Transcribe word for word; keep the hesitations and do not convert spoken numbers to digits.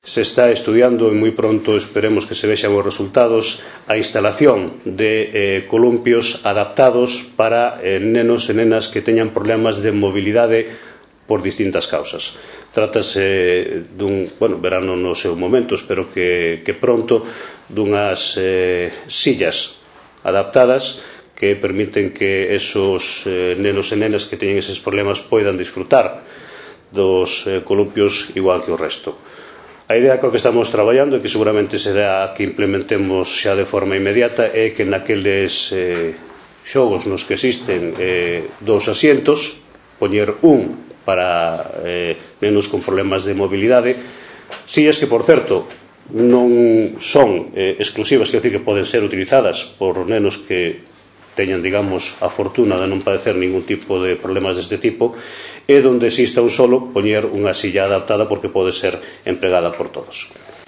Se está estudiando e moi pronto esperemos que se vexan os resultados a instalación de eh, columpios adaptados para eh, nenos e nenas que teñan problemas de mobilidade por distintas causas. Trátase dun, bueno, verano no seu momento, espero que, que pronto, dunhas eh, sillas adaptadas que permiten que esos eh, nenos e nenas que teñen eses problemas poidan disfrutar dos eh, columpios igual que o resto. A idea coa que estamos traballando e que seguramente será que implementemos xa de forma inmediata é que naqueles eh, xogos nos que existen eh, dous asientos, poñer un para eh, nenos con problemas de mobilidade, sillas que, por certo, non son eh, exclusivas, quer dizer que poden ser utilizadas por nenos que teñan, digamos, a fortuna de non padecer ningún tipo de problemas deste tipo, e donde exista un solo, poñer unha silla adaptada porque pode ser empregada por todos.